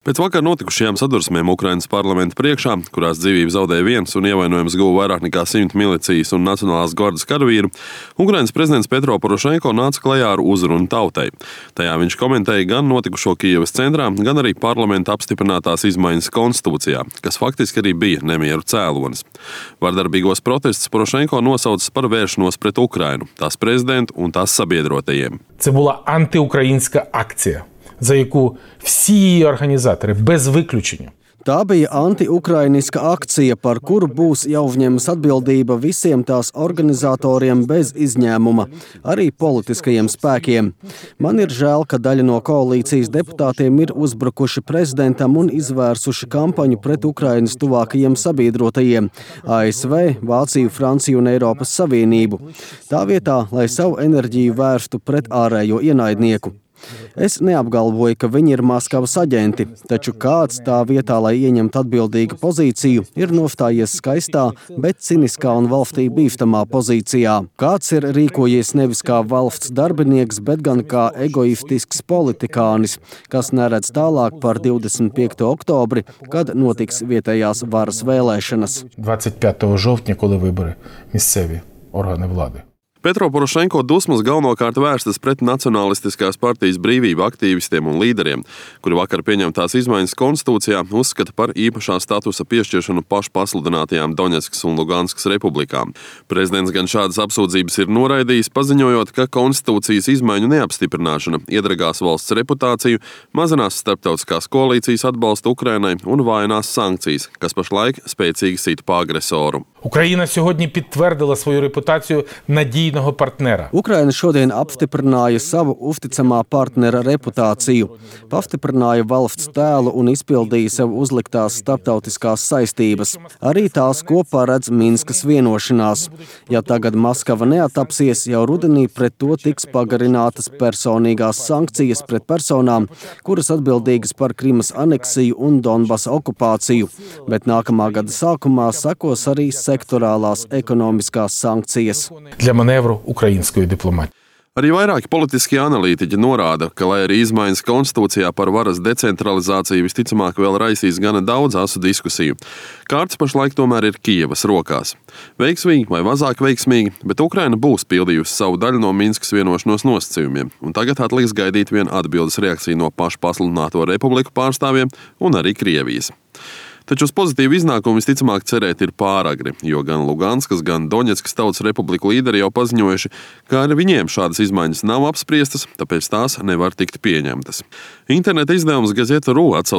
Pēc vakar notikušajām sadursmēm Ukrainas parlamenta priekšā, kurās dzīvību zaudēja viens un ievainojums guva vairāk nekā 100 milicijas un Nacionālās gardas karavīru, Ukrainas prezidents Petro Porošenko nāca klajā ar uzrunu tautai. Tajā viņš komentēja gan notikušo Kijevas centrā, gan arī parlamenta apstiprinātās izmaiņas konstitūcijā, kas faktiski arī bija nemieru cēlonis. Vardarbīgos protestus Porošenko nosauca par vēršanos pret Ukrainu, tās prezidentu un tās sabiedrotajiem. Це була антиукраїнська акція, за яку всі її організатори, без виключення. Tā bija anti-ukrainiska akcija, par kuru būs jāuzņemas atbildība visiem tās organizatoriem bez izņēmuma, arī politiskajiem spēkiem. Man ir žēl, ka daļa no koalīcijas deputātiem ir uzbrukuši prezidentam un izvērsuši kampaņu pret Ukrainas tuvākajiem sabiedrotajiem – ASV, Vāciju, Franciju un Eiropas Savienību. Tā vietā, lai savu enerģiju vērstu pret ārējo ienaidnieku. Es neapgalvoju, ka viņi ir Maskavas aģenti, taču kāds tā vietā, lai ieņemtu atbildīgu pozīciju, ir nostājies skaistā, bet ciniskā un valstī bīstamā pozīcijā. Kāds ir rīkojies nevis kā valsts darbinieks, bet gan kā egoistisks politikānis, kas neredz tālāk par 25. oktobri, kad notiks vietējās varas vēlēšanas. 25 жовтня, коли вибори місцеві органи влади. Petro Porošenko dusmas galvenokārt vērstas pret Nacionālistiskās partijas brīvību aktīvistiem un līderiem, kuri vakar pieņemtās izmaiņas konstitūcijā uzskata par īpašā statusa piešķiršanu pašpasludinātajām Doņetskas un Luganskas republikām. Prezidents gan šādas apsūdzības ir noraidījis, paziņojot, ka konstitūcijas izmaiņu neapstiprināšana iedragās valsts reputāciju, mazinās starptautiskās koalīcijas atbalstu Ukrainai un vājinās sankcijas, kas pašlaik spēcīgi sit pa agresoru. Україна сьогодні підтвердила свою репутацію надійного партнера. Ukraina šodien apstiprināja savu uzticamā partnera reputāciju, pastiprināja valsts tēlu un izpildīja sev uzliktās starptautiskās saistības. Arī tās, ko paredz Minskas vienošanās. Ja tagad Maskava neatapsies, jau rudenī pret to tiks pagarinātas personīgās sankcijas pret personām, kuras atbildīgas par Krimas aneksiju un Donbasa okupāciju, bet nākamā gada sākumā sekos arī sektorālās ekonomiskās sankcijas. Для маневру української дипломатії. Arī vairāki politiskie analītiķi norāda, ka, lai arī izmaiņas konstitūcijā par varas decentralizāciju visticamāk vēl raisīs gana daudz asu diskusiju, kārts pašlaik tomēr ir Kijevas rokās. Veiksmīgi vai mazāk veiksmīgi, bet Ukraina būs pildījusi savu daļu no Minskas vienošanos nosacījumiem, un tagad atliks gaidīt vien atbildes reakciju no pašpasludināto republiku pārstāvjiem un arī Krievijas. Taču uz pozitīvu iznākumu visticamāk cerēt ir pāragri, jo gan Luganskas, gan Doņetskas tautas republiku līderi jau paziņojuši, ka ar viņiem šādas izmaiņas nav apspriestas, tāpēc tās nevar tikt pieņemtas. Interneta izdevums Gazeta.ru atsauc